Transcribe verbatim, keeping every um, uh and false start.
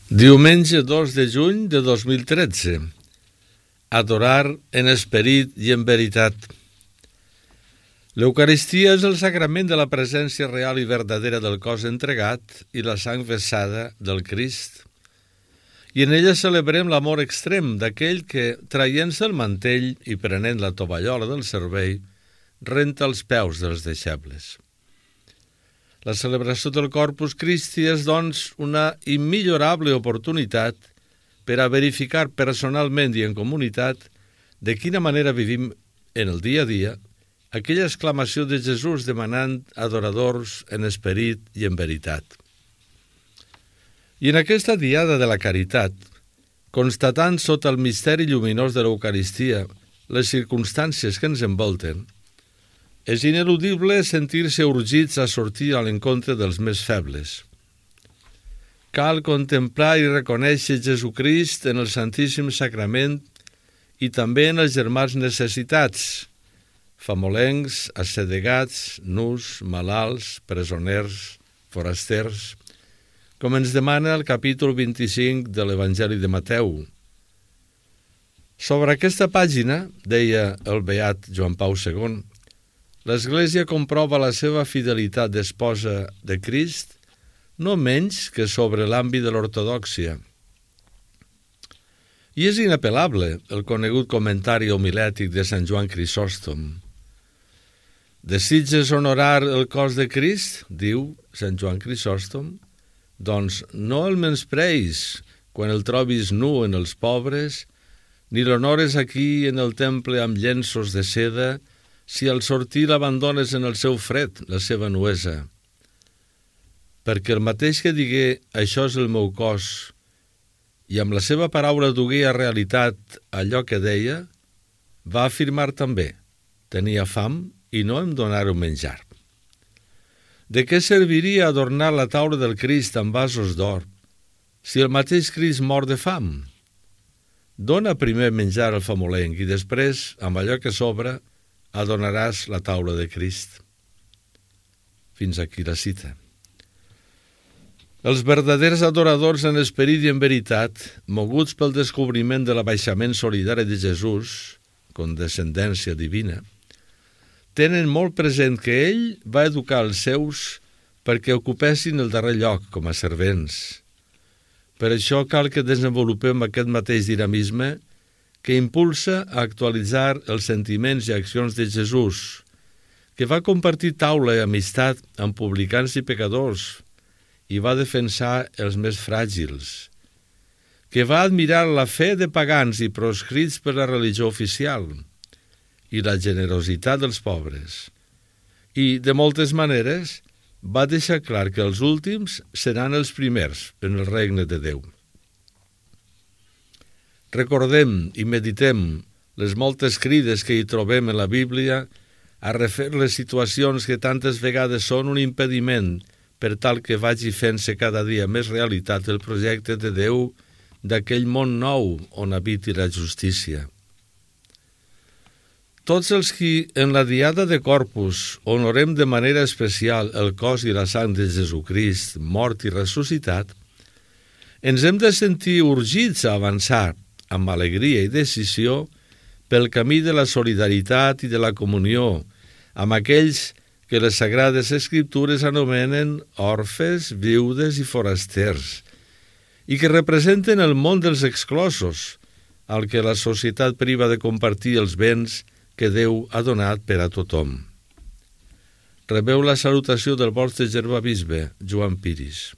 Diumenge dos de juny de dos mil tretze. Adorar en esperit i en veritat. L'Eucaristia és el sagrament de la presència real i verdadera del cos entregat i la sang vessada del Crist. I en ella celebrem l'amor extrem d'aquell que, traient-se el mantell i prenent la tovallola del servei, renta els peus dels deixebles. La celebració del Corpus Christi és, doncs, una immillorable oportunitat per a verificar personalment i en comunitat de quina manera vivim en el dia a dia aquella exclamació de Jesús demanant adoradors en esperit i en veritat. I en aquesta diada de la caritat, constatant sota el misteri lluminós de l'Eucaristia les circumstàncies que ens envolten, és ineludible sentir-se urgits a sortir a l'encontre dels més febles. Cal contemplar i reconèixer Jesucrist en el Santíssim Sagrament i també en els germans necessitats, famolencs, assedegats, nus, malalts, presoners, forasters, com ens demana el capítol vint-i-cinc de l'Evangeli de Mateu. Sobre aquesta pàgina, deia el beat Joan Pau segon, l'Església comprova la seva fidelitat d'esposa de Crist no menys que sobre l'àmbit de l'ortodòxia. I és inapel·lable el conegut comentari homilètic de Sant Joan Crisòstom. Desitges honorar el cos de Crist, diu Sant Joan Crisòstom, doncs no el menyspreis quan el trobis nu en els pobres, ni l'honores aquí en el temple amb llenços de seda, si al sortir l'abandones en el seu fred, la seva nuesa. Perquè el mateix que digué «això és el meu cos» i amb la seva paraula dugué a realitat allò que deia, va afirmar també «tenia fam i no em donàreu menjar». De què serviria adornar la taula del Crist amb vasos d'or si el mateix Crist mor de fam? Dona primer menjar al famolenc i després, amb allò que sobra, adonaràs la taula de Crist. Fins aquí la cita. Els verdaders adoradors en esperit i en veritat, moguts pel descobriment de l'abaixament solidari de Jesús, condescendència divina, tenen molt present que ell va educar els seus perquè ocupessin el darrer lloc com a servents. Per això cal que desenvolupem aquest mateix dinamisme que impulsa a actualitzar els sentiments i accions de Jesús, que va compartir taula i amistat amb publicans i pecadors i va defensar els més fràgils, que va admirar la fe de pagans i proscrits per la religió oficial i la generositat dels pobres, i, de moltes maneres, va deixar clar que els últims seran els primers en el regne de Déu. Recordem i meditem les moltes crides que hi trobem en la Bíblia a refer les situacions que tantes vegades són un impediment per tal que vagi fent-se cada dia més realitat el projecte de Déu d'aquell món nou on habiti la justícia. Tots els qui en la diada de Corpus honorem de manera especial el cos i la sang de Jesucrist, mort i ressuscitat, ens hem de sentir urgits a avançar amb alegria i decisió pel camí de la solidaritat i de la comunió amb aquells que les Sagrades Escriptures anomenen orfes, viudes i forasters, i que representen el món dels exclosos, al que la societat priva de compartir els béns que Déu ha donat per a tothom. Rebeu la salutació del vostre germà bisbe, Joan Piris.